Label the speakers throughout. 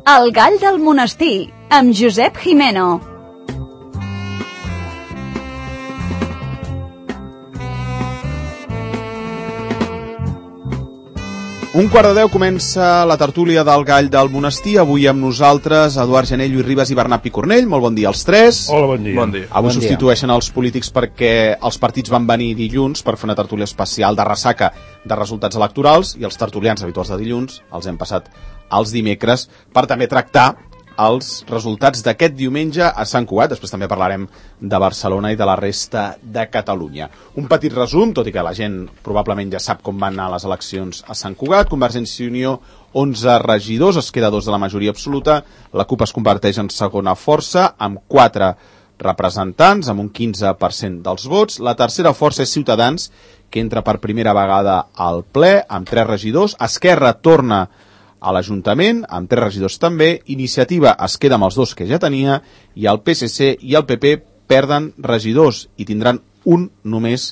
Speaker 1: El gall del monestir, amb Josep Jimeno.
Speaker 2: Un quart de 10 comença la tertúlia del gall del monestir. Avui amb nosaltres Eduard Gené, Lluís Ribas i Bernat Picornell. Molt bon dia als tres.
Speaker 3: Hola, bon dia.
Speaker 4: Bon dia.
Speaker 2: Avui substitueixen els polítics perquè els partits van venir dilluns per fer una tertúlia especial de ressaca de resultats electorals i els tertulians habituals de dilluns els hem passat als dimecres per també tractar els resultats d'aquest diumenge a Sant Cugat. Després també parlarem de Barcelona i de la resta de Catalunya. Un petit resum, tot i que la gent probablement ja sap com van anar les eleccions a Sant Cugat. Convergència i Unió, 11 regidors, es queda 2 de la majoria absoluta. La CUP es converteix en segona força, amb 4 representants, amb un 15% dels vots. La tercera força és Ciutadans, que entra per primera vegada al ple, amb 3 regidors. Esquerra torna a l'Ajuntament, amb 3 regidors també. Iniciativa es queda amb els 2 que ja tenia, i el PSC i el PP perden regidors i tindran un només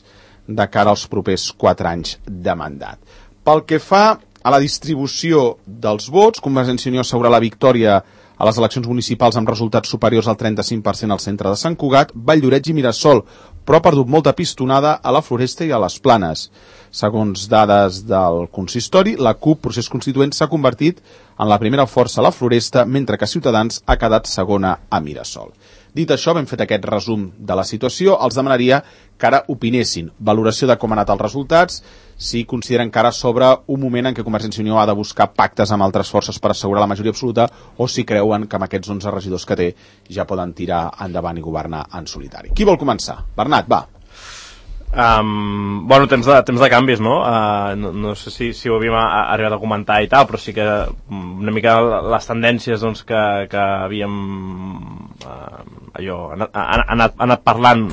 Speaker 2: de cara als propers 4 anys de mandat. Pel que fa a la distribució dels vots, Convergència i Unió assegura la victòria a les eleccions municipals amb resultats superiors al 35% al centre de Sant Cugat, Valldoreix i Mirasol, però ha perdut molta pistonada a la Floresta i a les Planes. Segons dades del consistori, la CUP, procés constituent, s'ha convertit en la primera força a la Floresta, mentre que Ciutadans ha quedat segona a Mirasol. Dit això, ben fet aquest resum de la situació, els demanaria que ara opinessin. Valoració de com han anat els resultats, si consideren que ara s'obre un moment en què Convergència i Unió ha de buscar pactes amb altres forces per assegurar la majoria absoluta, o si creuen que amb aquests 11 regidors que té ja poden tirar endavant i governar en solitari. Qui vol començar? Bernat, va.
Speaker 4: Bueno, temps de canvis, no? No sé si ho havíem arribat a comentar i tal, però sí que una mica les tendències doncs, que havíem anat parlant,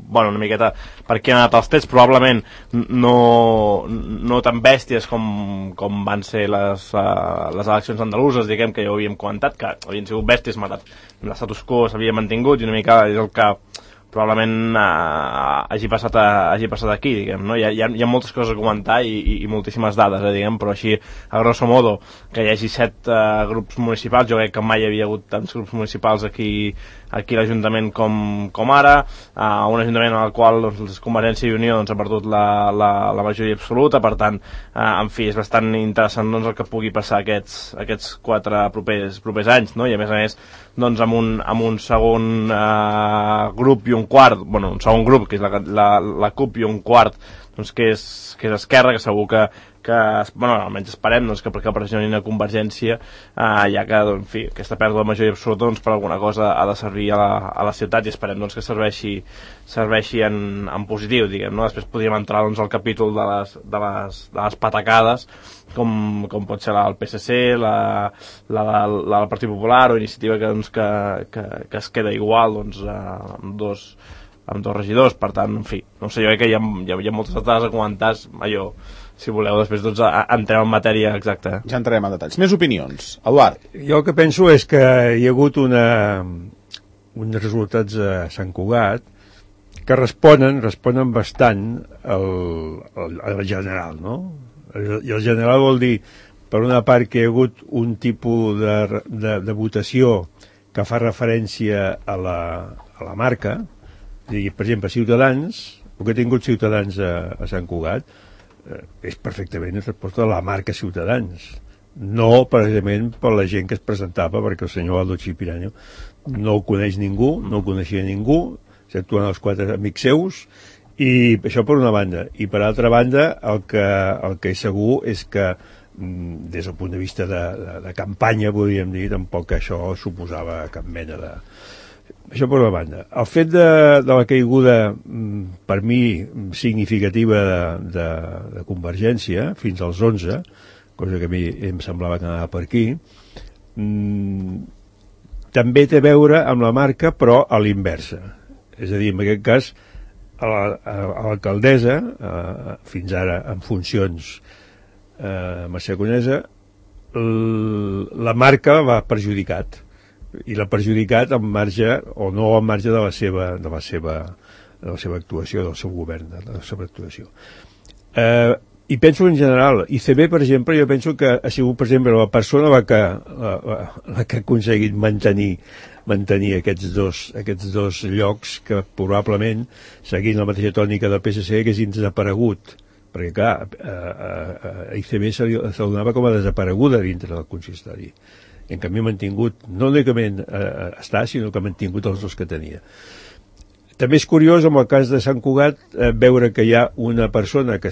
Speaker 4: bueno, una miqueta per què han anat els trets, probablement no tan bèsties com van ser les eleccions andaluses, diguem, que ja ho havíem comentat, que havien sigut bèsties, l'estatus quo s'havia mantingut i una mica és el que probablement hagi passat aquí, diguem, no? Hi ha moltes coses a comentar i moltíssimes dades, diguem, però així, a grosso modo, que hi hagi 7 grups municipals, jo crec que mai hi havia hagut tants grups municipals aquí a l'Ajuntament com ara, un Ajuntament en el qual doncs, Convergència i Unió doncs, ha perdut la majoria absoluta, per tant, en fi, és bastant interessant doncs, el que pugui passar aquests 4 propers anys, no? I a més, doncs, amb un segon grup i un quart, bueno, un segon grup, que és la CUP, i un quart, doncs, que és Esquerra, que segur que bueno, almenys esperem doncs, que perquè pressionin a Convergència, ja que, doncs, en fi, aquesta pèrdua de majoria absoluta doncs, per alguna cosa ha de servir a la ciutat, i esperem doncs, que serveixi en positiu, diguem, no? Després podríem entrar doncs, al capítol de les patacades, com pot ser la del PSC, la del Partit Popular o Iniciativa que es queda igual doncs, amb dos regidors. Per tant, en fi, no sé, jo crec que hi ha moltes dades a comentar, allò, si voleu, després doncs, entrem en matèria exacta.
Speaker 2: Ja entrarem en detalls. Més opinions. Eduard.
Speaker 3: Jo el que penso és que hi ha hagut uns resultats a Sant Cugat que responen bastant al general, no? I el general vol dir, per una part, que hi ha hagut un tipus de votació que fa referència a la marca. Per exemple, Ciutadans, el que ha tingut Ciutadans a Sant Cugat, és perfectament en resposta a la marca Ciutadans, no precisament per la gent que es presentava, perquè el senyor Aldo Chipirano no el coneix ningú, no el coneixia ningú, exceptuant els 4 amics seus, i això per una banda. I per altra banda, el que és segur és que des del punt de vista de campanya, podríem dir, tampoc això suposava cap mena de... Això per una banda. El fet de la caiguda, per mi, significativa de Convergència, fins als 11, cosa que a mi em semblava que anava per aquí, també té a veure amb la marca, però a l'inversa. És a dir, en aquest cas, a l'alcaldessa, fins ara en funcions Mercè Conesa, la marca l'ha perjudicat, i l'ha perjudicat en marge o no en marge de la seva actuació, del seu govern, de la seva actuació. I penso en general, ICB, per exemple, jo penso que ha sigut, per exemple, la persona la que ha aconseguit mantenir aquests dos llocs que probablement, seguint la mateixa tònica del PSC, haguessin desaparegut. Perquè, clar, ICB se donava com a desapareguda dintre del consistori. En canvi, ha mantingut, no únicament està, sinó que ha mantingut els dos que tenia. També és curiós, en el cas de Sant Cugat, veure que hi ha una persona que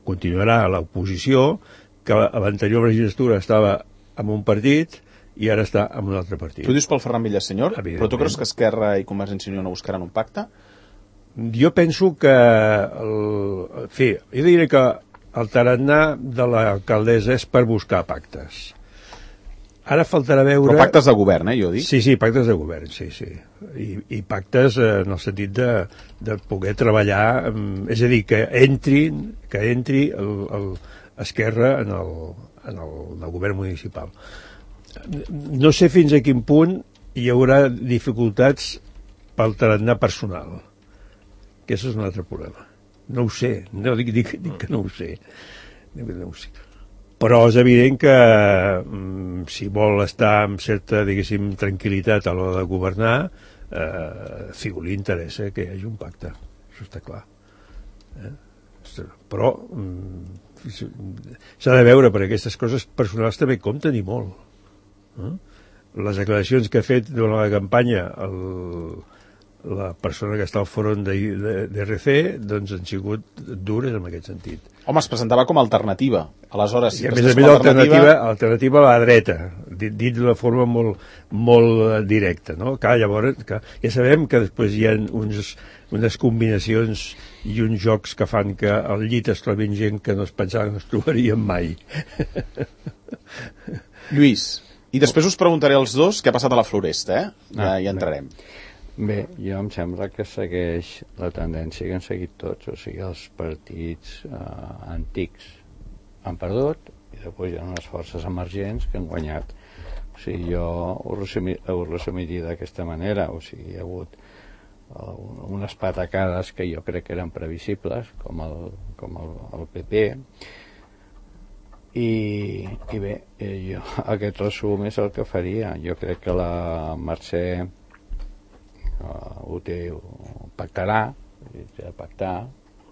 Speaker 3: continuarà a l'oposició, que a l'anterior legislatura estava en un partit i ara està en un altre partit.
Speaker 2: Tu dius pel Ferran Villasenyor, però tu creus que Esquerra i Convergència i Unió no buscaran un pacte?
Speaker 3: Jo penso que... jo diria que el tarannà de l'alcaldessa és per buscar pactes. Ara faltarà veure...
Speaker 2: Però pactes de govern, jo dic?
Speaker 3: Sí, pactes de govern, sí. I pactes en el sentit de poder treballar, és a dir, que entri Esquerra en el govern municipal. No sé fins a quin punt hi haurà dificultats pel tarannà personal. Que això és un altre problema. No ho sé, no dic que no ho sé. Però és evident que si vol estar amb certa, diguéssim, tranquil·litat a l'hora de governar, Figo li interessa que hi hagi un pacte, això està clar. Però s'ha de veure, perquè aquestes coses personals també compten i molt. Les declaracions que ha fet durant la campanya la persona que està al fòrum d'RC, doncs han sigut dures en aquest sentit.
Speaker 2: Home, es presentava com a alternativa. Aleshores, si
Speaker 3: a més alternativa a la dreta, dit d'una forma molt directa, no? Llavors, ja sabem que després hi ha unes combinacions i uns jocs que fan que al llit es trobin gent que no es pensaven que es trobarien mai.
Speaker 2: Lluís, i després us preguntaré als dos què ha passat a la Floresta, ja hi entrarem.
Speaker 5: Bé, jo em sembla que segueix la tendència que han seguit tots, o sigui, els partits antics han perdut i després hi ha unes forces emergents que han guanyat. O sigui, jo ho resumiria d'aquesta manera, o sigui, hi ha hagut unes patacades que jo crec que eren previsibles, com el PP, i bé, jo aquest resum és el que faria. Jo crec que la Mercè ho pactarà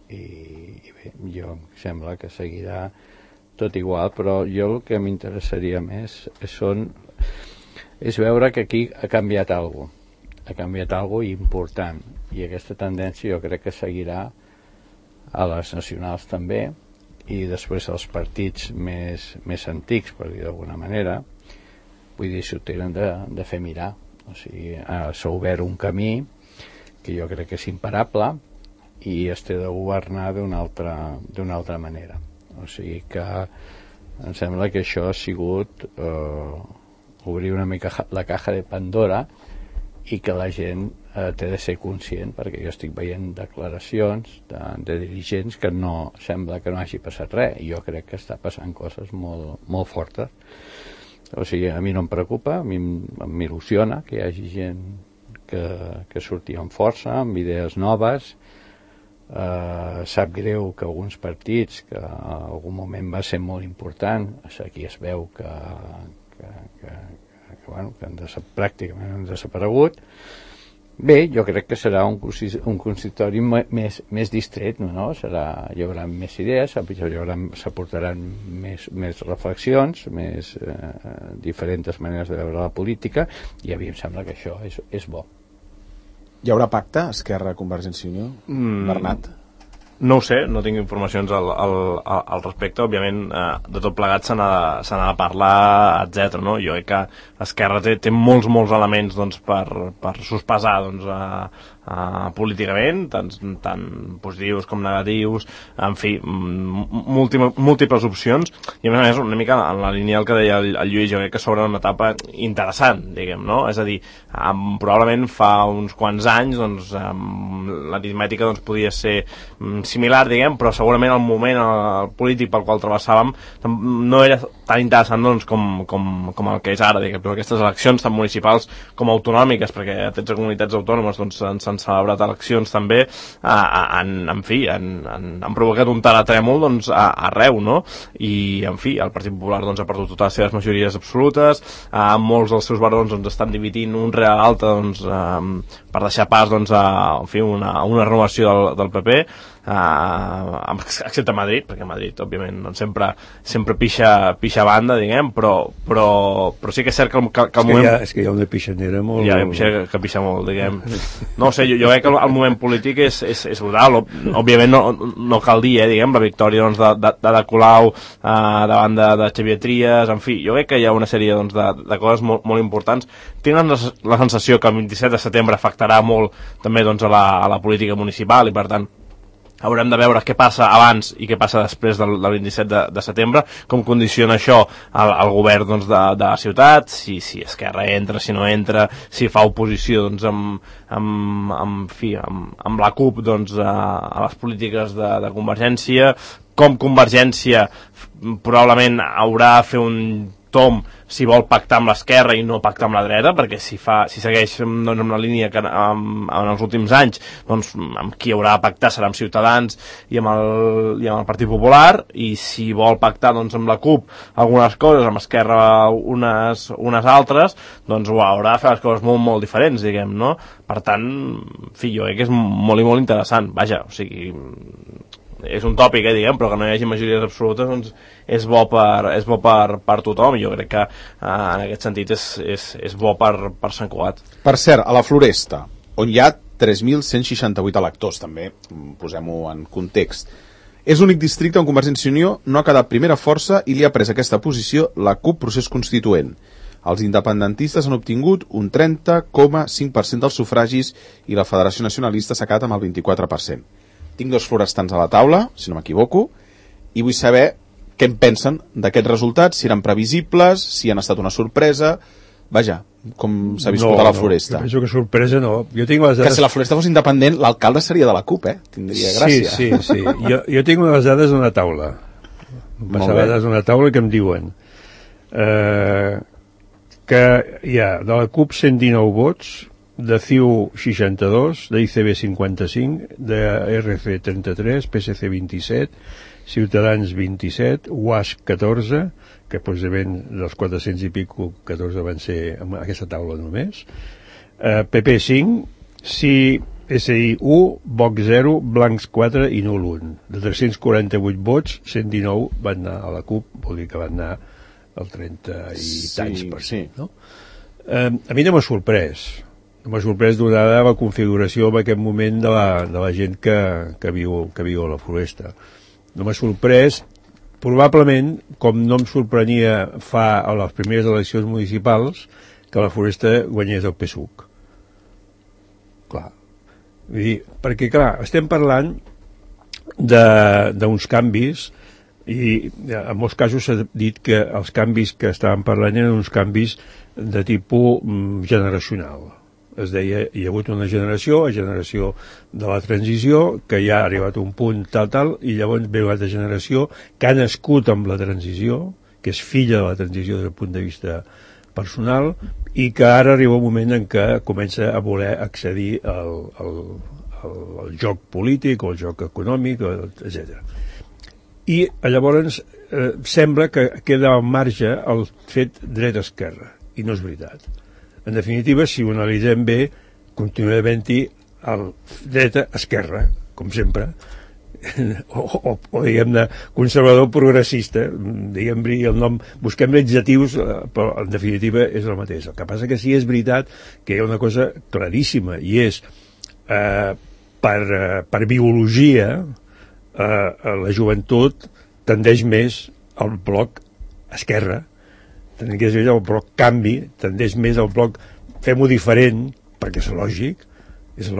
Speaker 5: i bé, jo em sembla que seguirà tot igual, però jo el que m'interessaria més és veure que aquí ha canviat alguna cosa important, i aquesta tendència jo crec que seguirà a les nacionals també, i després els partits més antics, per dir d'alguna manera, vull dir, s'ho tenen de fer mirar. O sigui, s'ha obert un camí que jo crec que és imparable i es té de governar d'una altra manera. O sigui que em sembla que això ha sigut obrir una mica la caja de Pandora i que la gent té de ser conscient, perquè jo estic veient declaracions de dirigents que no sembla que no hagi passat res, i jo crec que està passant coses molt, molt fortes. O sigui, a mi no em preocupa, a mi m'il·lusiona que hi hagi gent que surti amb força, amb idees noves. Sap greu que alguns partits, que en algun moment va ser molt important, aquí es veu que pràcticament han desaparegut. Bé, jo crec que serà un consistori més distret, no? Hi haurà més idees, s'aportaran més reflexions, més diferents maneres de veure la política, i a mi em sembla que això és bo.
Speaker 2: Hi haurà pacte, Esquerra, Convergència i Unió? Bernat?
Speaker 4: No ho sé, no tinc informacions al respecte. Òbviament, de tot plegat se n'ha de parlar, etc. No? Jo crec que Esquerra té molts elements doncs, per sospesar doncs, políticament, tant positius com negatius, en fi, múltiples opcions, i a més una mica en la línia del que deia el Lluís, jo crec que s'obre una etapa interessant, diguem, no? És a dir, probablement fa uns quants anys doncs, l'aritmètica doncs, podia ser similar, diguem, però segurament el moment polític pel qual travessàvem no era tan interessant doncs, com el que és ara, diguem, però aquestes eleccions tant municipals com autonòmiques, perquè a 13 comunitats autònomes doncs, se'n s'han celebrat eleccions també, en fi, han provocat un terratrèmol doncs, arreu, no? I, en fi, el Partit Popular doncs, ha perdut totes les seves majories absolutes, molts dels seus barons doncs, estan dividint un rere l'altre doncs, per deixar pas doncs, en fi, una renovació del PP, excepte Madrid, perquè Madrid òbviament doncs, sempre pixa banda, diguem, però sí que és cert que el moment...
Speaker 3: És que hi ha una pixanera molt...
Speaker 4: Hi ha una pixanera que pixa molt, diguem. No sé, jo crec que el moment polític és brutal. Òbviament no cal dir, diguem, la victòria doncs, de Colau davant de Xavier Trias, en fi, jo crec que hi ha una sèrie doncs, de coses molt importants. Tinc la sensació que el 27 de setembre afectarà molt també doncs, a la política municipal i per tant haurem de veure què passa abans i què passa després del 27 de setembre, com condiciona això el govern doncs, de la ciutat, si Esquerra entra, si no entra, si fa oposició doncs, amb la CUP doncs, a les polítiques de Convergència, com Convergència probablement haurà de fer un tom si vol pactar amb l'esquerra i no pactar amb la dreta, perquè si segueix doncs, amb la línia que en els últims anys doncs, amb qui haurà de pactar serà amb Ciutadans i amb el Partit Popular, i si vol pactar doncs, amb la CUP algunes coses, amb Esquerra unes altres, doncs haurà de fer les coses molt diferents, diguem, no? Per tant, en fi, jo crec que és molt i molt interessant, vaja, o sigui, és un tòpic, diguem, però que no hi hagi majories absolutes doncs és bo per tothom, i jo crec que en aquest sentit és bo per Sant Cugat.
Speaker 2: Per cert, a la Floresta, on hi ha 3.168 electors, també posem-ho en context, és l'únic districte on Convergència i Unió no ha quedat primera força i li ha pres aquesta posició la CUP Procés Constituent. Els independentistes han obtingut un 30,5% dels sufragis i la Federació Nacionalista s'ha quedat amb el 24%. Tinc dos florestans a la taula, si no m'equivoco, i vull saber què en pensen d'aquests resultats, si eren previsibles, si han estat una sorpresa. Vaja, com s'ha viscut a la Floresta.
Speaker 3: Jo penso que sorpresa no. Jo tinc les dades...
Speaker 2: Que si la Floresta fos independent, l'alcalde seria de la CUP, Tindria gràcia.
Speaker 3: Sí. Jo tinc les dades d'una taula. Les dades d'una taula que em diuen que hi ha de la CUP 119 vots, de CiU 62, de ICB 55, de RC 33, PSC 27, Ciutadans 27, UAS 14, que possiblement dels 400 i pico 14 van ser en aquesta taula només, PP 5, CSI 1, Vox 0, Blancs 4 i nul 1. De 348 vots, 119 van anar a la CUP, vol dir que van anar el 30 i tants per cent, no? A mi no m'ha sorprès. M'ha sorprès donada la configuració en aquest moment de la gent que viu a la Floresta. No m'ha sorprès, probablement, com no em sorprenia a les primeres eleccions municipals, que la Floresta guanyés el PSUC. Clar. Vull dir, perquè, clar, estem parlant d'uns canvis, i en molts casos s'ha dit que els canvis que estàvem parlant eren uns canvis de tipus generacional. Es deia, hi ha hagut una generació de la transició, que ja ha arribat a un punt tal, i llavors ve una altra generació que ha nascut amb la transició, que és filla de la transició des del punt de vista personal, i que ara arriba un moment en què comença a voler accedir al joc polític o al joc econòmic, etc. I llavors sembla que queda al marge el fet dreta-esquerra, i no és veritat. En definitiva, si ho analitzem bé, continua havent-hi el dreta-esquerra, com sempre, o diguem-ne, conservador progressista, diguem-ne el nom, busquem adjectius, però en definitiva és el mateix. El que passa que sí és veritat que hi ha una cosa claríssima, i és, per biologia, la joventut tendeix més al bloc esquerra, tendeix més al bloc canvi, tendeix més al bloc fem-ho diferent, perquè és lògic, és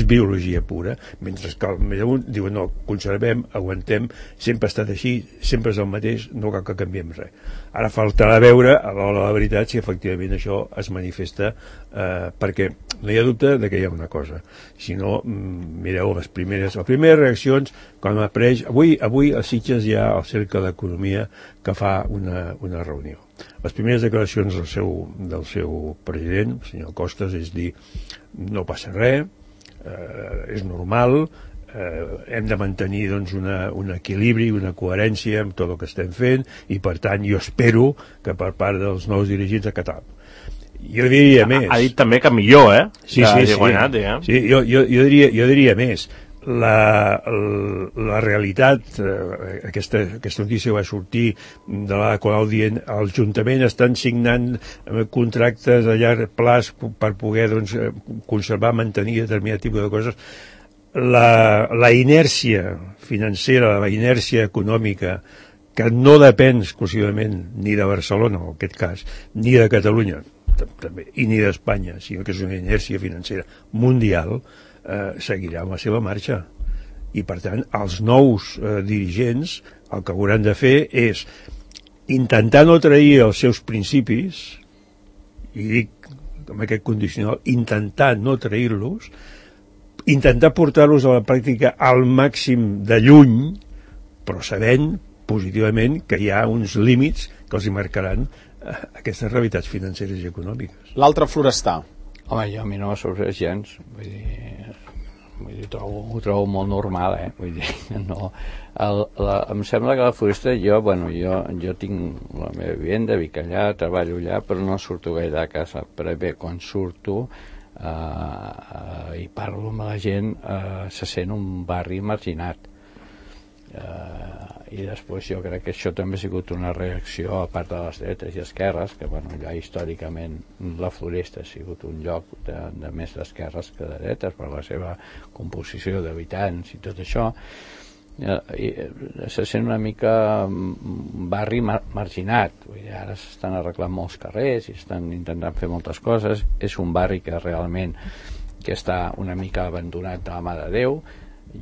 Speaker 3: biologia pura, mentre que el més amunt diuen no, conservem, aguantem, sempre ha estat així, sempre és el mateix, no cal que canviem res. Ara faltarà veure a l'hora de la veritat si efectivament això es manifesta, perquè no hi ha dubte de que hi ha una cosa. Si no, mireu les primeres reaccions quan apareix... Avui a Sitges hi ha el Cercle d'Economia que fa una reunió. Les primeres declaracions del seu president, el senyor Costas, és dir, no passa res, és normal, hem de mantenir doncs, un equilibri, una coherència amb tot el que estem fent, i per tant jo espero que per part dels nous dirigents de Catalunya. Jo diria més.
Speaker 4: Ha dit també que millor,
Speaker 3: Sí,
Speaker 4: guanyat,
Speaker 3: sí, jo diria més. La realitat, aquesta notícia va sortir de la qual dient l'Ajuntament estan signant contractes a llarg plaç per poder doncs, conservar, mantenir determinat tipus de coses. La inèrcia financera, la inèrcia econòmica, que no depèn exclusivament ni de Barcelona, en aquest cas, ni de Catalunya, també, i ni d'Espanya, sinó que és una inèrcia financera mundial, seguirà amb la seva marxa. I per tant els nous dirigents el que hauran de fer és intentar no trair els seus principis, i dic amb aquest condicional, intentar no trair-los, intentar portar-los a la pràctica al màxim de lluny, però sabent positivament que hi ha uns límits que els hi marcaran aquestes realitats financeres i econòmiques.
Speaker 2: L'altre Florestà.
Speaker 5: Home, a mi no m'ha sorprès gens, vull dir, ho trobo molt normal, vull dir, no. Em sembla que la Floresta, jo tinc la meva vivenda, vic allà, treballo allà, però no surto gaire de casa, però bé, quan surto i parlo amb la gent, se sent un barri marginat. I després jo crec que això també ha sigut una reacció a part de les dretes i esquerres, que ja històricament la Floresta ha sigut un lloc de més d'esquerres que de dretes per la seva composició d'habitants i tot això, i se sent una mica barri marginat. Vull dir, ara s'estan arreglant molts carrers i estan intentant fer moltes coses. És un barri que realment que està una mica abandonat de la mà de Déu.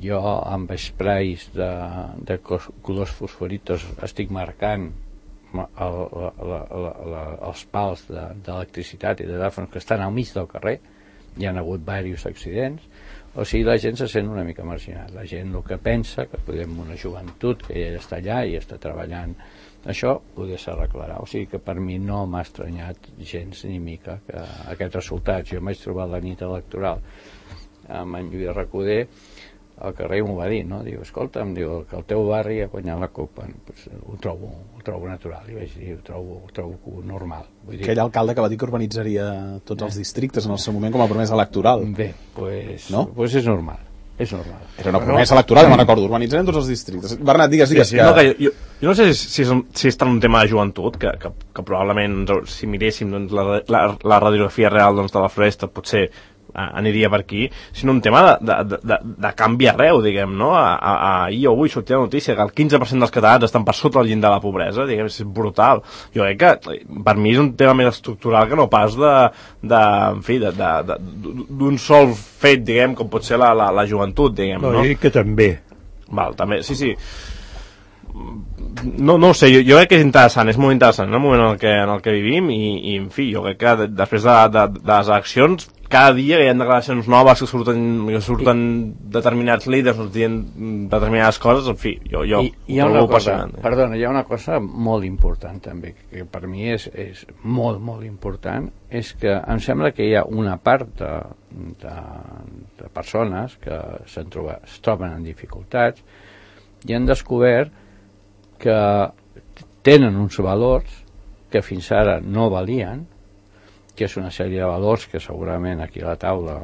Speaker 5: Jo amb sprays de colors fosforitos estic marcant els pals d'electricitat i de telèfons que estan al mig del carrer. Hi ha hagut diversos accidents. O sigui, la gent se sent una mica marginat. La gent el que pensa, que podem una joventut que ja està allà i està treballant, això poder s'arreglarà. O sigui que per mi no m'ha estranyat gens ni mica que aquests resultats. Jo m'haig trobat la nit electoral amb en Lluís Recoder al carrer m'ho va dir, no? Diu, escolta, em diu que el teu barri ha guanyat la CUP. Pues, ho trobo natural, i vaig dir, ho trobo normal. Vull dir...
Speaker 2: Aquell alcalde que va dir que urbanitzaria tots els districtes en el seu moment com a promesa electoral.
Speaker 5: Bé, pues,
Speaker 2: no?
Speaker 5: Pues és normal. És normal.
Speaker 2: Era una promesa electoral, me'n recordo, urbanitzarem tots els districtes. Bernat, digues.
Speaker 4: Sí, que... No, que jo no sé si està en un tema de joventut, que probablement, si miréssim doncs, la radiografia real doncs, de la Floresta, potser aniria per aquí, sinó un tema de canvi arreu, diguem, no? Ahir o avui sortia la notícia que el 15% dels catalans estan per sota el llindar de la pobresa, diguem, és brutal. Jo crec que per mi és un tema més estructural que no pas d'un sol fet, diguem, com pot ser la joventut, diguem, no?
Speaker 3: No, jo dic que també.
Speaker 4: Val, també, sí. No ho sé, jo crec que és interessant, és molt interessant el moment en el que vivim i en fi, jo crec que després de les eleccions cada dia hi ha declaracions noves que surten determinats líders dient determinades coses, en fi, jo
Speaker 5: hi ha una cosa, perdona, hi ha una cosa molt important també, que per mi és molt, molt important, és que em sembla que hi ha una part de persones que es troben en dificultats i han descobert que tenen uns valors que fins ara no valien, que és una sèrie de valors que segurament aquí a la taula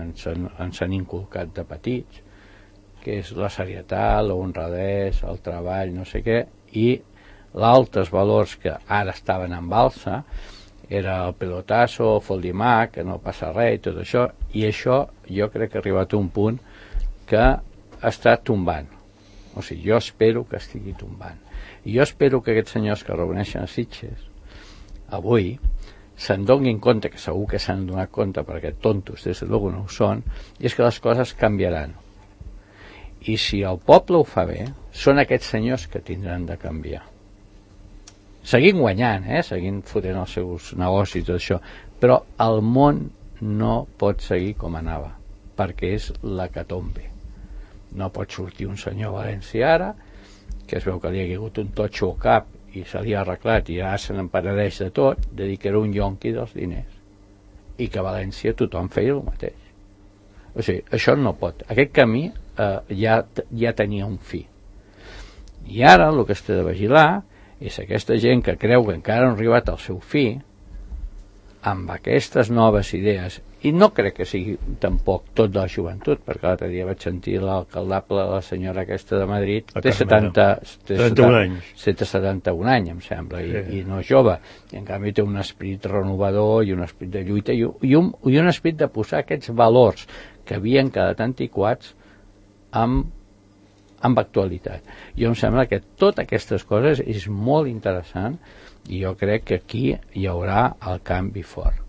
Speaker 5: ens han inculcat de petits, que és la serietat, la honradesa, el treball, no sé què, i altres valors que ara estaven en alça era el pelotasso, el foldimac, que no passa res i tot això, i això jo crec que ha arribat a un punt que està tombant. O sigui, jo espero que estigui tombant. I jo espero que aquests senyors que reuneixen a Sitges avui se'n donin compte, que segur que s'han donat compte perquè tontos des de luego no ho són, i és que les coses canviaran. I si el poble ho fa bé, són aquests senyors que tindran de canviar. Seguint guanyant, seguint fotent els seus negocis i tot això, però el món no pot seguir com anava, perquè és l'hecatombe. No pot sortir un senyor València ara, que es veu que li ha hagut un totxo al cap i se li ha arreglat i ara se n'emperadeix de tot, de dir que era un yonqui dels diners, i que a València tothom feia el mateix. O sigui, això no pot. Aquest camí ja tenia un fi. I ara el que es té de vigilar és aquesta gent que creu que encara no ha arribat al seu fi, amb aquestes noves idees, i no crec que sigui tampoc tot de la joventut, perquè l'altre dia vaig sentir l'alcaldable, la senyora aquesta de Madrid, té 71 anys, 71 anys, em sembla, i no és jove, i en canvi té un esperit renovador i un esperit de lluita i un esperit de posar aquests valors que havien quedat antiquats amb actualitat. Jo em sembla que totes aquestes coses és molt interessant i jo crec que aquí hi haurà el canvi fort.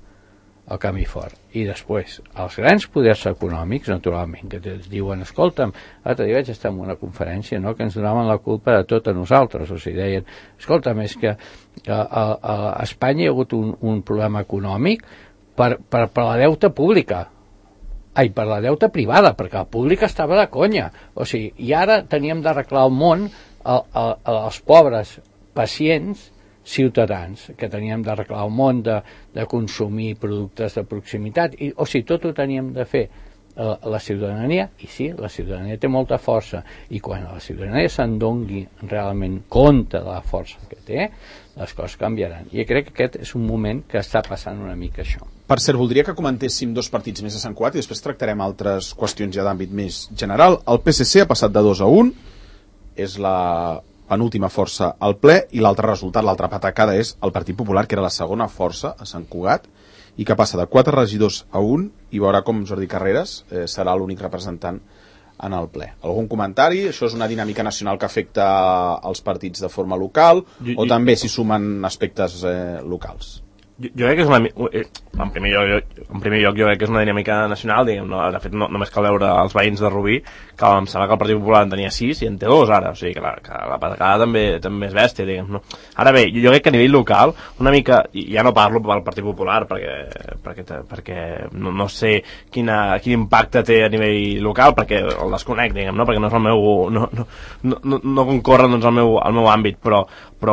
Speaker 5: I després, els grans poders econòmics, naturalment, que es diuen, escolta'm, l'altre dia vaig estar en una conferència, no?, que ens donaven la culpa de tot a nosaltres, o sigui, deien, escolta'm, és que a Espanya hi ha hagut un problema econòmic per la deuta pública, per la deuta privada, perquè la pública estava de conya, o sigui, i ara teníem d'arreglar el món als pobres pacients ciutadans, que teníem d'arreglar el món de consumir productes de proximitat, o sigui, tot ho teníem de fer la ciutadania, i sí, la ciutadania té molta força, i quan la ciutadania se'n doni realment compte de la força que té, les coses canviaran. I crec que aquest és un moment que està passant una mica això.
Speaker 2: Per cert, voldria que comentéssim 2 partits més a Sant Cugat i després tractarem altres qüestions ja d'àmbit més general. El PSC ha passat de 2-1, és la penúltima força al ple, i l'altre resultat, l'altra patacada, és el Partit Popular, que era la segona força a Sant Cugat, i que passa de 4 regidors a 1, i veurà com Jordi Carreras serà l'únic representant en el ple. Algun comentari? Això és una dinàmica nacional que afecta els partits de forma local, o també s'hi sumen aspectes locals?
Speaker 4: Jo crec que és una... En primer lloc jo crec que és una dinàmica nacional, diguem, no? De fet només cal veure els veïns de Rubí, que em sembla que el Partit Popular en tenia 6 i en té 2 ara, o sigui que la patacada també és bèstia, diguem, no? Ara bé, jo crec que a nivell local, una mica, i ja no parlo pel Partit Popular perquè no sé quin impacte té a nivell local, perquè el desconec, diguem, no? Perquè no és el meu... no concorre doncs al meu àmbit, però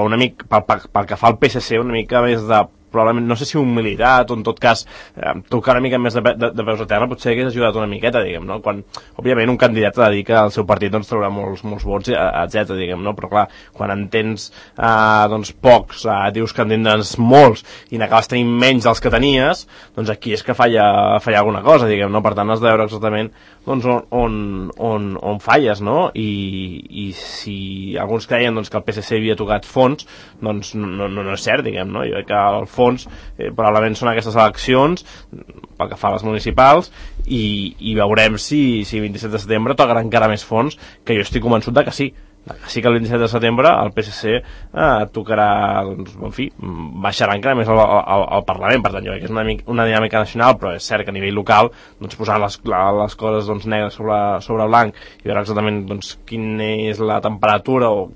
Speaker 4: una mica, pel que fa al PSC, una mica més de probablement, no sé si humilitat o en tot cas tocar una mica més de peus a terra potser hagués ajudat una miqueta, diguem, no? Quan, òbviament, un candidat ha de dir que el seu partit doncs, traurà molts vots, etc, diguem, no? Però clar, quan en tens doncs, pocs, dius que en tindràs molts i n'acabes tenint menys dels que tenies, doncs aquí és que falla alguna cosa, diguem, no? Per tant, has de veure exactament doncs, on falles, no? I si alguns creien doncs, que el PSC havia tocat fons, doncs no és cert, diguem, no? Jo crec que el fons probablement són aquestes eleccions pel que fa a les municipals i veurem si 27 de setembre tocarà encara més fons, que jo estic convençut de que sí que el 27 de setembre el PSC tocarà, doncs, en fi, baixarà encara més al Parlament. Per tant, jo crec que és una dinàmica nacional, però és cert que a nivell local doncs, posar les coses doncs, negres sobre blanc i veure exactament doncs, quina és la temperatura o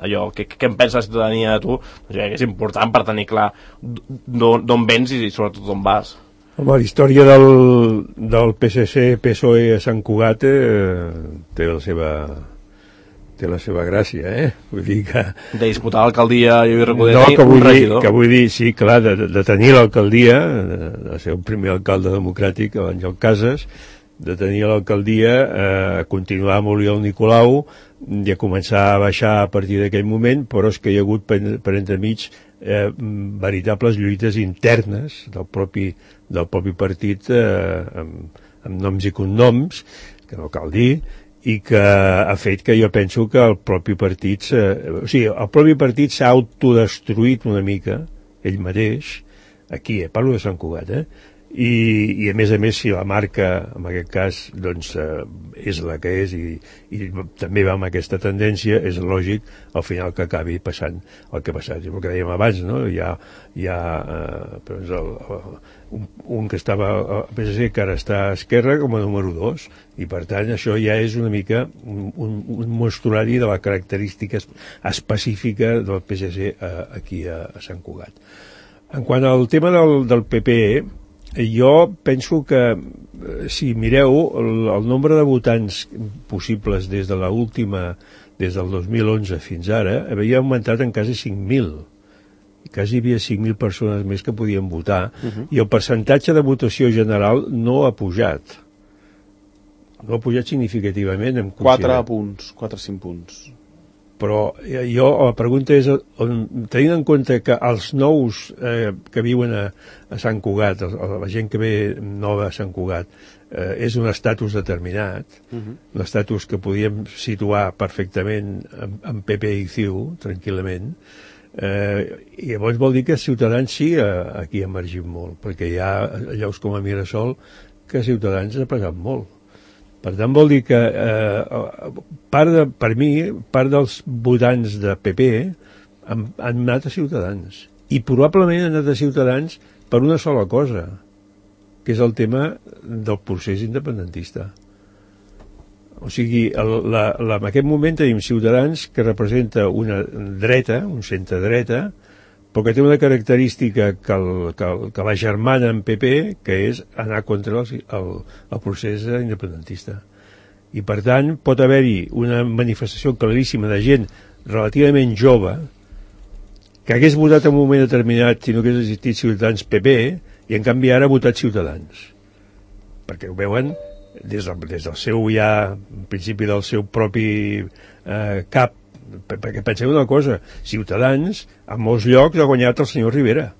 Speaker 4: allò, què en pensa la ciutadania de tu, doncs, jo crec que és important per tenir clar d'on vens i sobretot d'on vas.
Speaker 3: Home, la història del PSC-PSOE a Sant Cugat té la seva gràcia, Vull dir que...
Speaker 4: De disputar l'alcaldia i Recoder
Speaker 3: que vull dir, sí, clar, de tenir l'alcaldia, de ser el primer alcalde democràtic, Àngel Casas, de tenir l'alcaldia, continuar amb Oriol Nicolau i a començar a baixar a partir d'aquell moment, però és que hi ha hagut per entremig veritables lluites internes del propi partit amb noms i cognoms, que no cal dir, i que ha fet que jo penso que el propi partit s'ha autodestruït una mica ell mateix, aquí, parlo de Sant Cugat, i a més, si la marca en aquest cas doncs, és la que és i també va amb aquesta tendència, és lògic al final que acabi passant el que ha passat. El que dèiem abans, no? Hi ha un que estava al PSC que ara està a Esquerra com a número 2 i per tant això ja és una mica un mostrari de la característica específica del PSC aquí a Sant Cugat. En quant al tema del PP, Jo penso que, si mireu, el nombre de votants possibles des del 2011 fins ara, havia augmentat en quasi 5.000. Quasi hi havia 5.000 persones més que podien votar, i el percentatge de votació general no ha pujat. No ha pujat significativament.
Speaker 2: 4 punts, 4-5 punts.
Speaker 3: Però la pregunta és, tenint en compte que els nous que viuen a Sant Cugat, la gent que ve nova a Sant Cugat, és un estatus determinat, un estatus que podíem situar perfectament en PP i CiU, tranquil·lament, i llavors vol dir que Ciutadans sí aquí ha emergit molt, perquè hi ha llocs com a Mirasol que Ciutadans ha pagat molt. Per tant, vol dir que per mi, part dels votants de PP han anat a Ciutadans. I probablement han anat a Ciutadans per una sola cosa, que és el tema del procés independentista. O sigui, en aquest moment tenim Ciutadans, que representa una dreta, un centre-dreta, però que té una característica que la germana en PP, que és anar contra el procés independentista. I, per tant, pot haver-hi una manifestació claríssima de gent relativament jove que hagués votat en un moment determinat si no hagués existit Ciutadans PP, i en canvi ara ha votat Ciutadans. Perquè ho veuen des del seu ja, en principi del seu propi cap. Perquè penseu una cosa, Ciutadans a molts llocs ha guanyat el senyor Rivera.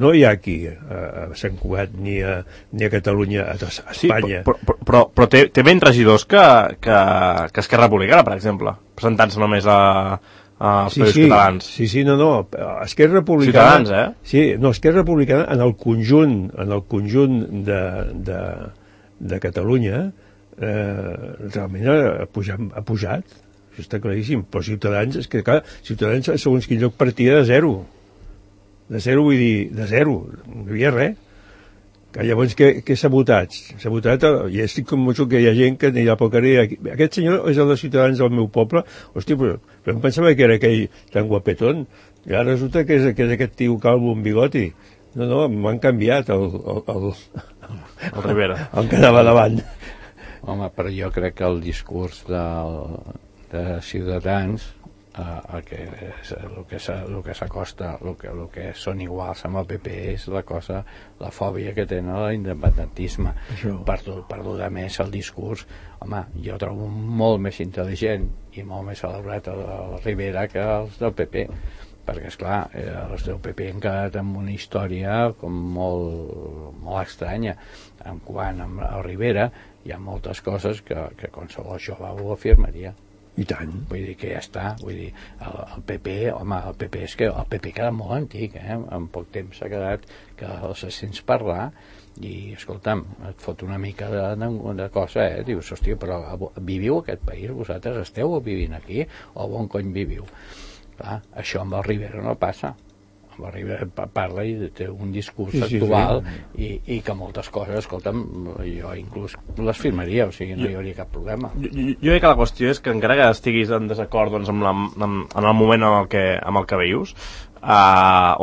Speaker 3: No hi ha aquí a Sant Cugat ni a Catalunya, a Espanya.
Speaker 4: Sí, però té menys regidors que Esquerra Republicana, per exemple, presentant-se només als països catalans.
Speaker 3: Sí, no. Esquerra Republicana...
Speaker 4: Ciutadans,
Speaker 3: Sí, no, Esquerra Republicana en el conjunt de Catalunya realment ha pujat. Això està claríssim, però Ciutadans, és que clar, Ciutadans segons quin lloc partia de zero, vull dir, de zero, no hi havia res. Que llavors què s'ha votat? S'ha votat, i estic convençut que hi ha gent que anirà pel carrer, aquest senyor és el de Ciutadans del meu poble, hòstia, però em pensava que era aquell tan guapetón, i ara resulta que és aquest tio calvo amb bigoti. No, m'han canviat el
Speaker 4: Rivera,
Speaker 3: el que anava davant.
Speaker 5: Home, però jo crec que el discurs de Ciutadans, el que s'acosta, el que són iguals amb el PP és la fòbia que tenen a l'independentisme. Per lo de més, el discurs, home, jo trobo molt més intel·ligent i molt més elaborat el Rivera que els del PP, perquè esclar, els del PP han quedat amb una història com molt estranya. En quant al Rivera hi ha moltes coses que qualsevol jove ho afirmaria.
Speaker 3: I tant.
Speaker 5: Vull dir que ja està. Vull dir, el PP, home, el PP és que el PP queda molt antic, en poc temps s'ha quedat que els sents parlar i, escolta'm, et fot una mica de cosa, dius, hòstia, però viviu aquest país, vosaltres esteu vivint aquí o on cony viviu? Clar, això amb el Rivera no passa. Amb el Rivera parla i té un discurs actual. I que moltes coses, escolta'm, jo inclús les firmaria, o sigui, no hi hauria cap problema.
Speaker 4: Jo crec que la qüestió és que encara que estiguis en desacord doncs, en el moment en el que vius, o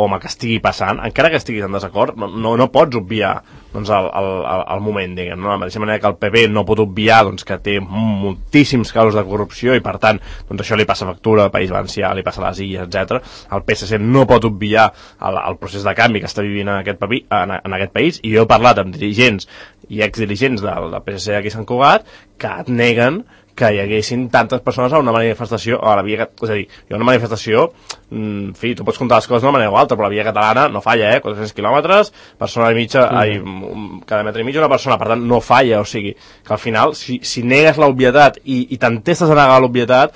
Speaker 4: amb el que estigui passant, encara que estiguis en desacord, no pots obviar doncs, el moment, diguem, no? De la mateixa manera que el PP no pot obviar doncs, que té moltíssims casos de corrupció i per tant doncs, això li passa factura al País Valencià, li passa a les Illes, etc. El PSC no pot obviar el procés de canvi que està vivint en aquest país, i jo he parlat amb dirigents i exdirigents del PSC aquí a Sant Cugat que et neguen que hi haguessin tantes persones a una manifestació, a la via, és a dir, hi ha una manifestació, en fi, tu pots comptar les coses d'una manera o altra, però la via catalana no falla, 400 quilòmetres, persona i mitja, cada metre i mig una persona, per tant no falla, o sigui, que al final, si negues l'obvietat i t'entestes a negar l'obvietat,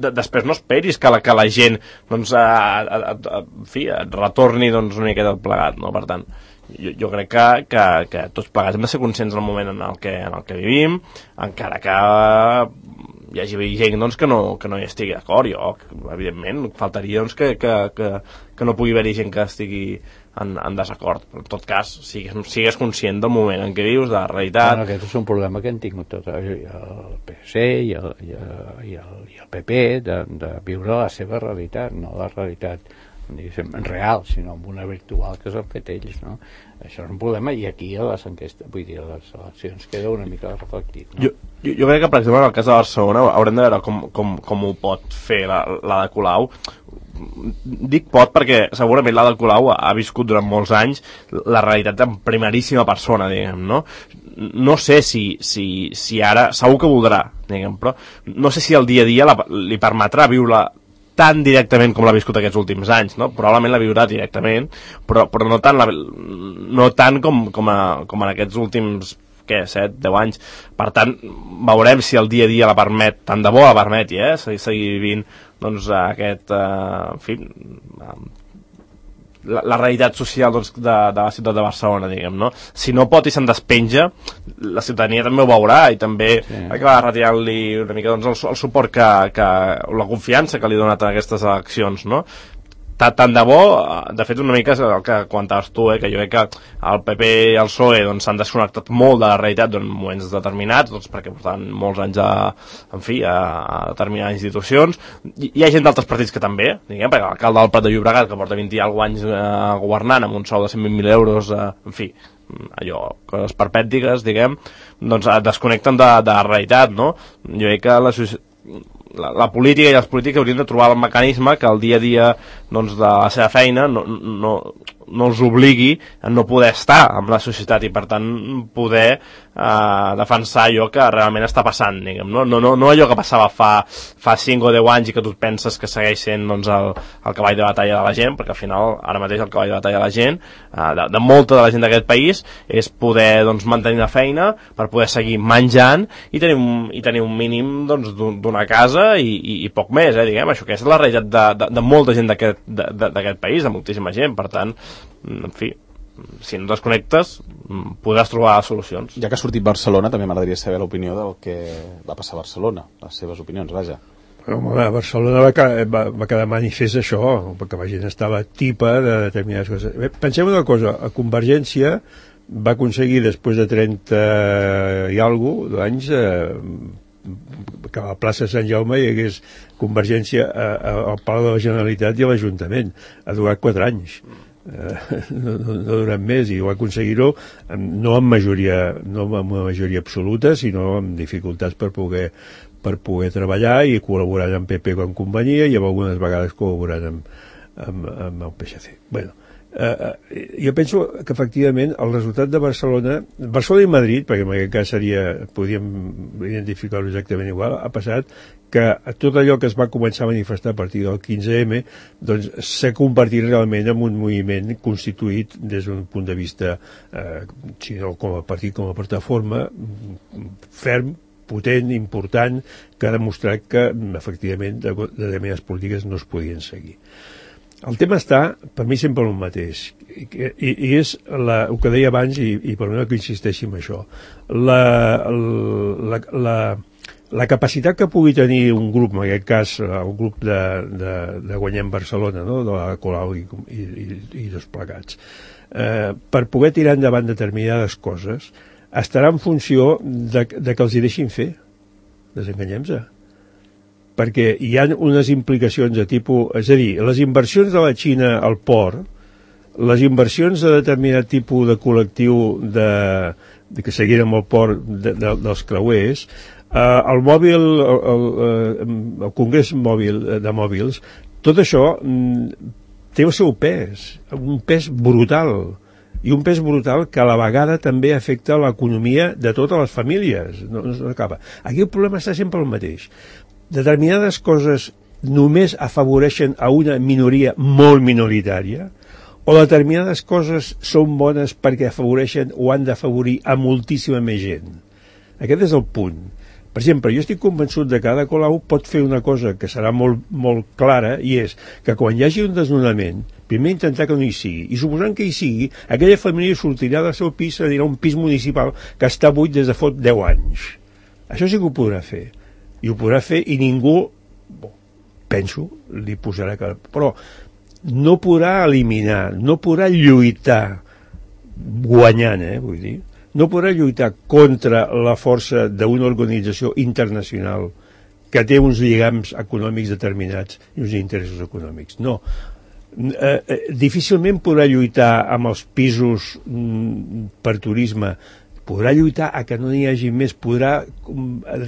Speaker 4: després no esperis que la gent, doncs, en fi, et retorni doncs, una miqueta plegat, no? Per tant, jo crec que tots plegats hem de ser conscients del moment en el que vivim, encara que hi hagi gent doncs, que no hi estigui d'acord. Jo, evidentment, faltaria doncs, que no pugui haver-hi gent que estigui en desacord, però en tot cas sigues conscient del moment en què vius, de la realitat.
Speaker 5: Bueno, aquest és un problema que han tingut tot el PSC i el PP de viure la seva realitat, no la realitat diguéssim, real, sinó amb una virtual que s'han fet ells, no? Això és un problema, i aquí a les enquestes, vull dir, a les eleccions queda una mica reflectit, no?
Speaker 4: Jo crec que, per exemple, en el cas de Barcelona haurem de veure com ho pot fer la de Colau. Dic pot perquè segurament la de Colau ha viscut durant molts anys la realitat en primeríssima persona, diguem, no? No sé si ara, segur que voldrà, diguem, però no sé si el dia a dia li permetrà viure tan directament com l'ha viscut aquests últims anys, no? Probablement la viurà directament, però no tant com en aquests últims 7, 10 anys. Per tant, veurem si el dia a dia la permet, tant de bo la permeti, seguir vivint doncs aquest, en fi, la realitat social doncs, de la ciutat de Barcelona, diguem, no? Si no pot i se'n despenja, la ciutadania també ho veurà i també acabarà retirant-li una mica doncs, el suport la confiança que li ha donat en aquestes eleccions, no? Tant de bo, de fet una mica és el que comentaves tu, que jo crec que el PP i el PSOE doncs, s'han desconnectat molt de la realitat en moments determinats, doncs, perquè portaven molts anys a determinades institucions. Hi ha gent d'altres partits que també, diguem, perquè l'alcalde del Prat de Llobregat, que porta 20 i alguns anys governant amb un sou de 120.000 euros, en fi, allò, coses perpètiques, diguem, doncs desconnecten de la realitat, no? Jo crec que la política i els polítics haurien de trobar el mecanisme que el dia a dia doncs, de la seva feina no els obligui a no poder estar amb la societat i per tant poder defensar allò que realment està passant, diguem, no allò que passava fa 5 o 10 anys i que tu penses que segueix sent doncs, el cavall de batalla de la gent, perquè al final ara mateix el cavall de batalla de la gent, de molta de la gent d'aquest país, és poder doncs, mantenir la feina per poder seguir menjant i tenir un mínim doncs, d'una casa i poc més, diguem, això que és la realitat de molta gent d'aquest país, de moltíssima gent, per tant, en fi, si no desconnectes podràs trobar solucions.
Speaker 2: Ja que ha sortit Barcelona, també m'agradaria saber l'opinió del que va passar a Barcelona, les seves opinions, vaja.
Speaker 3: Home, a Barcelona va quedar manifest això, perquè la gent estava tipa de determinades coses. Pensem una cosa, a Convergència va aconseguir després de 30 i alguna d'anys que a la plaça Sant Jaume hi hagués Convergència al Palau de la Generalitat i a l'Ajuntament. Ha durat 4 anys. No durant més, i va aconseguir-ho no amb una majoria absoluta, sinó amb dificultats per poder treballar i col·laborant amb PP quan convenia i algunes vegades col·laborant amb el PSC. Bueno, jo penso que efectivament el resultat de Barcelona i Madrid, perquè en aquest cas podríem identificar-ho exactament igual, ha passat que tot allò que es va començar a manifestar a partir del 15M doncs s'ha convertit realment en un moviment constituït des d'un punt de vista si no com a partit, com a plataforma ferm, potent, important, que ha demostrat que efectivament determinades polítiques no es podien seguir. El tema està, per mi, sempre el mateix, i és el que deia abans, i per mi que insisteixi en això, la capacitat que pugui tenir un grup, en aquest cas el grup de Guanyem Barcelona, no? De la Colau i dos plegats, per poder tirar endavant determinades coses, estarà en funció de que els hi deixin fer. Desenganyem-se. Perquè hi ha unes implicacions de tipus... És a dir, les inversions de la Xina al port, les inversions de determinat tipus de col·lectiu que seguirem al port dels creuers, el mòbil, el Congrés de Mòbils, tot això té el seu pes, un pes brutal, i un pes brutal que a la vegada també afecta l'economia de totes les famílies. No acaba. Aquí el problema està sempre el mateix. Determinades coses només afavoreixen a una minoria molt minoritària o determinades coses són bones perquè afavoreixen o han d'afavorir a moltíssima més gent. Aquest és el punt. Per exemple, jo estic convençut de que Ada Colau pot fer una cosa que serà molt, molt clara, i és que quan hi hagi un desnonament, primer intentar que no hi sigui, i suposant que hi sigui, aquella família sortirà del seu pis, a dir, un pis municipal que està buit des de fot 10 anys. Això sí que ho podrà fer. I ho podrà fer i ningú, penso, li posarà cara. Però no podrà eliminar, no podrà lluitar guanyant, vull dir, no podrà lluitar contra la força d'una organització internacional que té uns lligams econòmics determinats i uns interessos econòmics. No. difícilment podrà lluitar amb els pisos per turisme, podrà lluitar a que no n'hi hagi més, podrà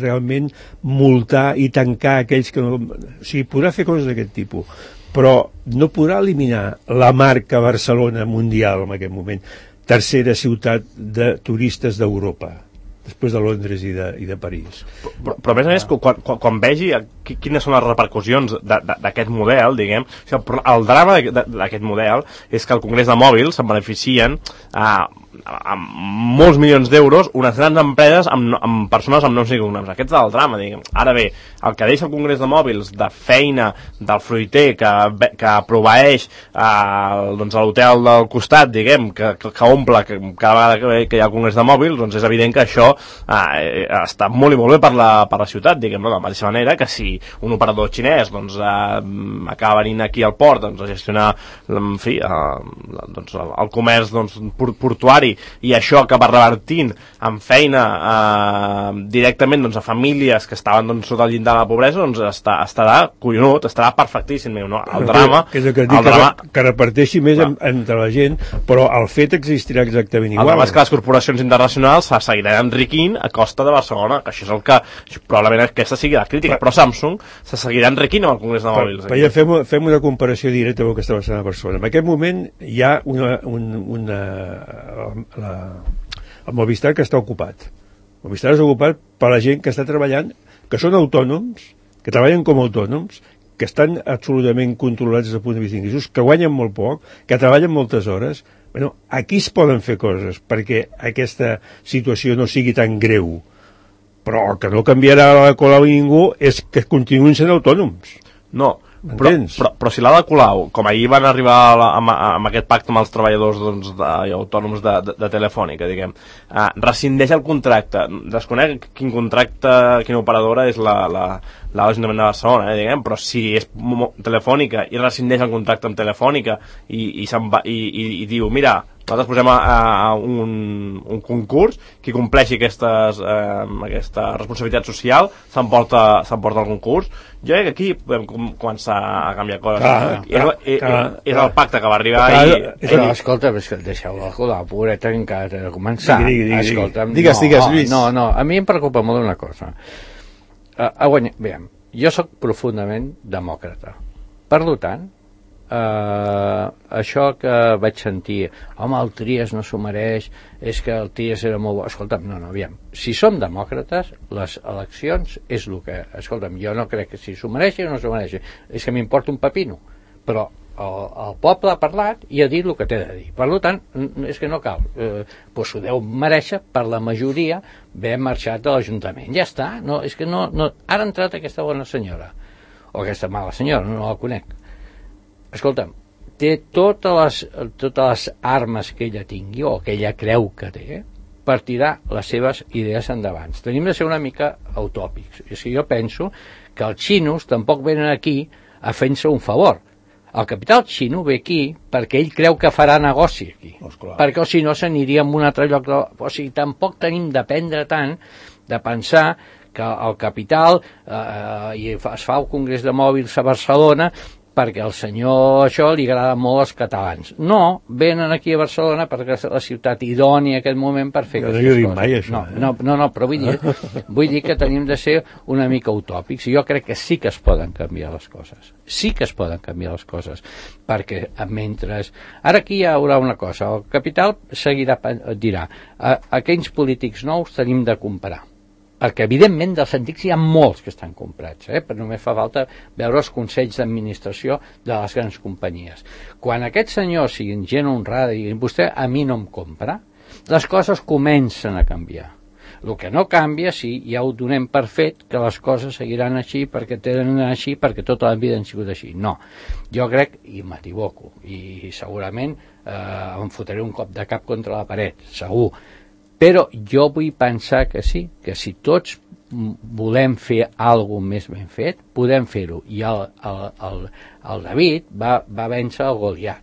Speaker 3: realment multar i tancar aquells que no... O sigui, podrà fer coses d'aquest tipus, però no podrà eliminar la marca Barcelona mundial en aquest moment, tercera ciutat de turistes d'Europa, després de Londres i de París.
Speaker 4: Però a més, quan vegi quines són les repercussions d'aquest model, diguem, o sigui, el drama d'aquest model és que el Congrés de Mòbils se'n beneficien amb molts milions d'euros unes grans empreses amb persones amb noms i cognoms. Aquest és el drama, diguem. Ara bé, el que deixa el Congrés de Mòbils de feina del fruiter que proveeix doncs, a l'hotel del costat, diguem, que omple cada vegada que hi ha el Congrés de Mòbils, doncs és evident que això està molt i molt bé per la ciutat, diguem, no? De la mateixa manera que si un operador xinès doncs, acaba venint aquí al port doncs, a gestionar, en fi, doncs, el comerç doncs, portuari, i això acaba revertint en feina directament doncs, a famílies que estaven doncs, sota el llindar de la pobresa, doncs estarà collonut, estarà perfectíssim, no? El drama...
Speaker 3: Que reparteixi més entre la gent, però el fet existirà exactament igual.
Speaker 4: El drama és que les corporacions internacionals se seguiran enriquint a costa de Barcelona, que això és el que probablement aquesta sigui la crítica, però Samsung se seguirà enriquint amb el Congrés de Mòbils.
Speaker 3: Però ja fem una comparació directa amb el que està passant a Barcelona. En aquest moment hi ha el Movistar que està ocupat. El Movistar és ocupat per la gent que està treballant, que són autònoms, que treballen com a autònoms, que estan absolutament controlats des del punt de vista d'ingressos, que guanyen molt poc, que treballen moltes hores. Bueno, aquí es poden fer coses perquè aquesta situació no sigui tan greu. Però el que no canviarà la Colau i ningú és que continuïn sent autònoms.
Speaker 4: No, però si l'Ada Colau, com ahir van arribar amb aquest pacte amb els treballadors doncs, autònoms de Telefònica, diguem, rescindeix el contracte, desconec quin contracte, quina operadora és l'Ajuntament de Barcelona, diguem, però si és Telefònica i rescindeix el contracte amb Telefònica i diu, mira, nosaltres posem un concurs, qui compleixi aquesta responsabilitat social s'emporta el concurs. Jo crec que aquí podem començar a canviar coses. És el pacte que va arribar ahir.
Speaker 5: Però escolta, deixeu-la la pobreta que encara té de començar.
Speaker 2: Digues, Lluís.
Speaker 5: No, a mi em preocupa molt una cosa. Jo sóc profundament demòcrata. Per tant, això que vaig sentir, home, el Trias no s'ho mereix, és que el Trias era molt bo. Escolta'm, aviam, si som demòcrates, les eleccions és el que, escolta'm, jo no crec que si s'ho mereixi o no s'ho mereixi, és que m'importa un pepino, però el poble ha parlat i ha dit el que té de dir. Per tant, és que no cal, doncs ho deu mereixer per la majoria haver marxat de l'Ajuntament. Ja està, no, és que no, ara ha entrat aquesta bona senyora, o aquesta mala senyora, no la conec. Escolta'm, té totes les armes que ella tingui o que ella creu que té per tirar les seves idees endavant. Tenim de ser una mica utòpics. És que jo penso que els xinos tampoc venen aquí a fer-se un favor. El capital xino ve aquí perquè ell creu que farà negoci aquí. Perquè si no s'aniria a un altre lloc. O sigui, tampoc tenim d'aprendre tant de pensar que el capital i es fa el Congrés de Mòbils a Barcelona perquè al senyor això li agrada molt als catalans. No, venen aquí a Barcelona perquè és la ciutat idònia en aquest moment per fer aquestes coses.
Speaker 3: Mai, això,
Speaker 5: no, però vull dir que tenim de ser una mica utòpics. Jo crec que sí que es poden canviar les coses. Sí que es poden canviar les coses. Perquè mentre... Ara aquí hi haurà una cosa. El capital dirà aquells polítics nous tenim de comparar. Perquè evidentment dels antics hi ha molts que estan comprats, però només fa falta veure els consells d'administració de les grans companyies. Quan aquest senyor sigui gent honrada i vostè a mi no em compra, les coses comencen a canviar. El que no canvia, sí, ja ho donem per fet, que les coses seguiran així perquè tenen així, perquè tota la vida han sigut així. No, jo crec, i m'equivoco, i segurament em fotré un cop de cap contra la paret, segur. Però jo vull pensar que sí, que si tots volem fer alguna més ben fet, podem fer-ho. I el David va vèncer el Goliat.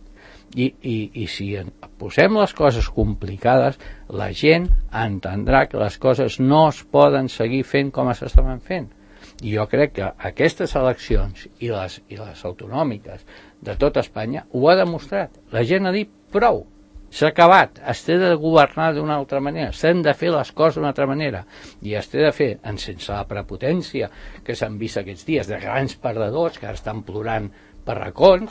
Speaker 5: I si posem les coses complicades, la gent entendrà que les coses no es poden seguir fent com s'estaven fent. I jo crec que aquestes eleccions i les autonòmiques de tot Espanya ho ha demostrat. La gent ha dit prou, s'ha acabat, es té de governar d'una altra manera, s'han de fer les coses d'una altra manera, i es té de fer sense la prepotència que s'han vist aquests dies, de grans perdedors que ara estan plorant per racons,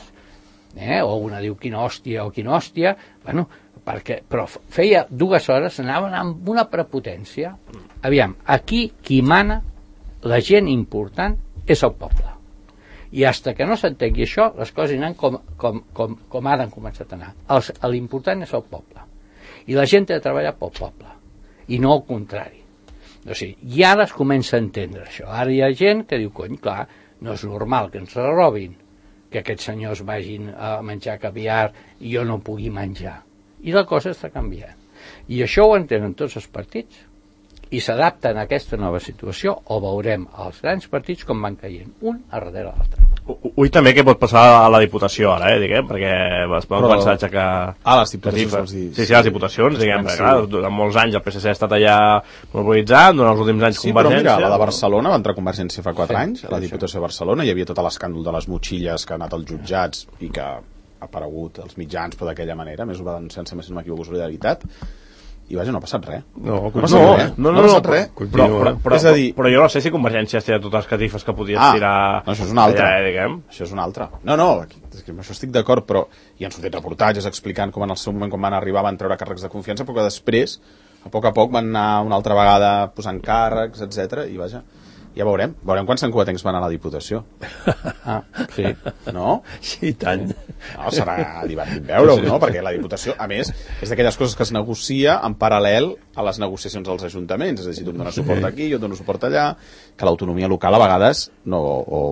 Speaker 5: o una diu quina hòstia, bueno, però feia 2 hores, anaven amb una prepotència. Aviam, aquí qui mana, la gent important, és el poble. I fins que no s'entengui això, les coses aniran com ara han començat a anar. L'important és el poble. I la gent ha de treballar pel poble. I no al contrari. O sigui, i ara es comença a entendre això. Ara hi ha gent que diu, cony, clar, no és normal que ens robin, que aquests senyors vagin a menjar caviar i jo no pugui menjar. I la cosa està canviant. I això ho entenen tots els partits i s'adapten a aquesta nova situació, o veurem els grans partits com van caient, un a darrere l'altre.
Speaker 4: Ull també què pot passar a la Diputació ara, diguem, perquè es poden començar a aixecar...
Speaker 2: les diputacions, vols dir?
Speaker 4: Sí, les diputacions, diguem, perquè clar, durant molts anys el PSC ha estat allà mobilitzant, durant els últims anys Convergència...
Speaker 2: Sí, però mira, la de Barcelona va entrar Convergència fa 4 anys, a la Diputació de Barcelona, hi havia tot l'escàndol de les motxilles que ha anat als jutjats i que ha aparegut als mitjans, però d'aquella manera, més ho va denunciar, si no m'equivoco, Solidaritat, i vaja, no ha passat res.
Speaker 4: No ha passat res.
Speaker 2: És a dir...
Speaker 4: Però jo no sé si Convergència has tirat totes les catifes que podies tirar...
Speaker 2: No, això és una altra. Això és una altra. No, amb això estic d'acord, però hi han sortit reportatges explicant com en el seu moment, quan van arribar, van treure càrrecs de confiança, però que després, a poc van anar una altra vegada posant càrrecs, etc. I vaja, ja veurem quants encovatencs van a la Diputació.
Speaker 5: Sí.
Speaker 2: No?
Speaker 3: Sí, tant.
Speaker 2: No, serà divertit veure-ho, no? Perquè la Diputació, a més, és d'aquelles coses que es negocia en paral·lel a les negociacions dels ajuntaments, és a dir, tu em dones suport aquí, jo et dono suport allà, que l'autonomia local a vegades, no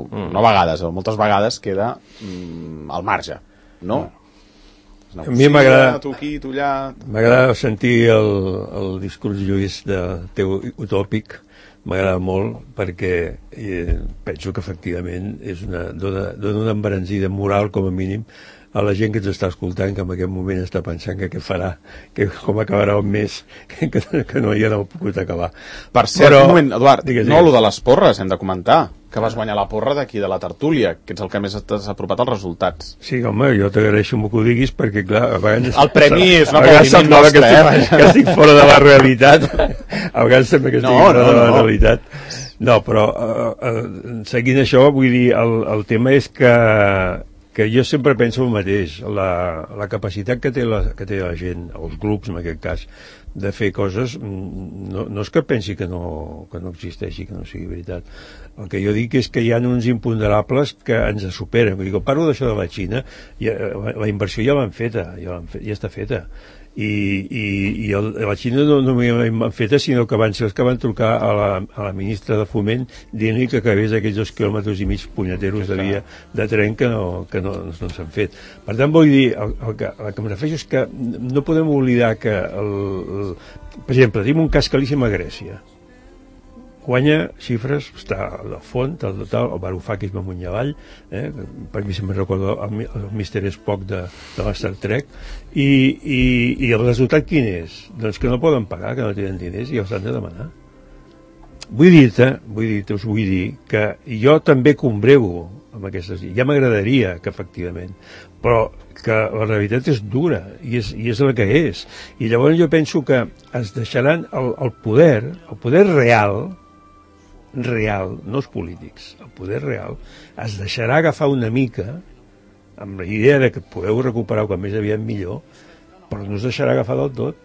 Speaker 2: a vegades, o moltes vegades queda al marge, no?
Speaker 3: A mi m'agrada
Speaker 2: tu aquí, tu allà...
Speaker 3: M'agrada sentir el discurs, Lluís, del teu utòpic. M'agrada molt perquè penso que efectivament dona una embranzida moral com a mínim a la gent que ens està escoltant, que en aquest moment està pensant que què farà, que com acabarà el mes, que no hi ha pogut acabar.
Speaker 2: Per cert, un moment, Eduard, no, lo de les porres hem de comentar, que vas guanyar la porra d'aquí de la tertúlia, que ets el que més t'has apropat als resultats.
Speaker 3: Sí, home, jo t'agraeixo que ho diguis perquè, clar, a vegades...
Speaker 2: El premi és un aplaudiment nostre,
Speaker 3: que estic fora de la realitat. A vegades sembla que estic fora de la realitat. No, però seguint això, vull dir, el tema és que jo sempre penso el mateix, la capacitat que té la gent, els grups en aquest cas, de fer coses, no és que pensi que no existeixi, que no sigui veritat. El que jo dic és que hi ha uns imponderables que ens superen. Vull dir, quan parlo d'això de la Xina, la inversió ja l'han feta, ja està feta. I la Xina no l'han feta, sinó que van ser els que van trucar a la ministra de Foment dient-li que acabés aquells 2,5 quilòmetres punyeteros de via de tren que no s'han fet. Per tant, vull dir, el que em refereixo és que no podem oblidar que per exemple, tenim un cas claríssim a Grècia. Guanya xifres, està a la font, el Varoufakis va amunt i avall, per mi sempre recordo el Mr. Spock de la Star Trek, i el resultat quin és? Doncs que no poden pagar, que no tenen diners i els han de demanar. Vull dir que jo també combrego amb aquestes... Ja m'agradaria que efectivament, però que la realitat és dura i és la que és. I llavors jo penso que es deixaran el poder real, no els polítics, el poder real, es deixarà agafar una mica amb la idea de que podeu recuperar com més aviat millor, però no es deixarà agafar del tot.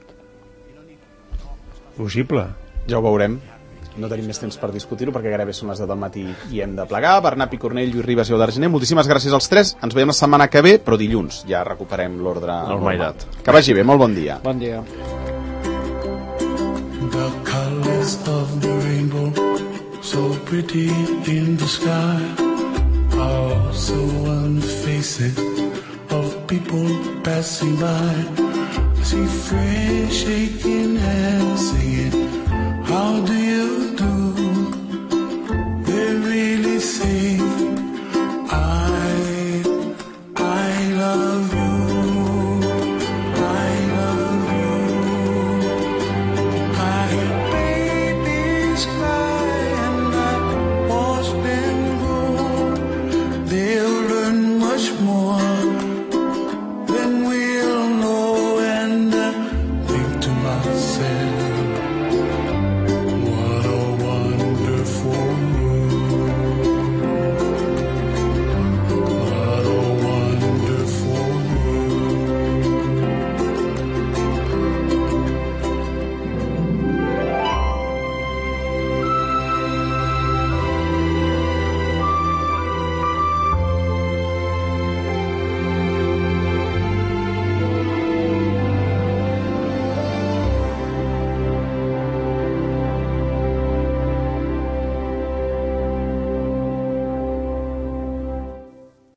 Speaker 3: Possible.
Speaker 2: Ja ho veurem. No tenim més temps per discutir-ho perquè gairebé són les 10 del matí i hem de plegar. Bernat Picornell, Lluís Ribas i Eudald Giner, moltíssimes gràcies als tres. Ens veiem la setmana que ve, però dilluns ja recuperem l'ordre normal. Que vagi bé, molt bon dia.
Speaker 5: Bon dia.
Speaker 6: The colors of the rainbow, so pretty in the sky, are so on the faces of people passing by. I see friends shaking hands singing, how do you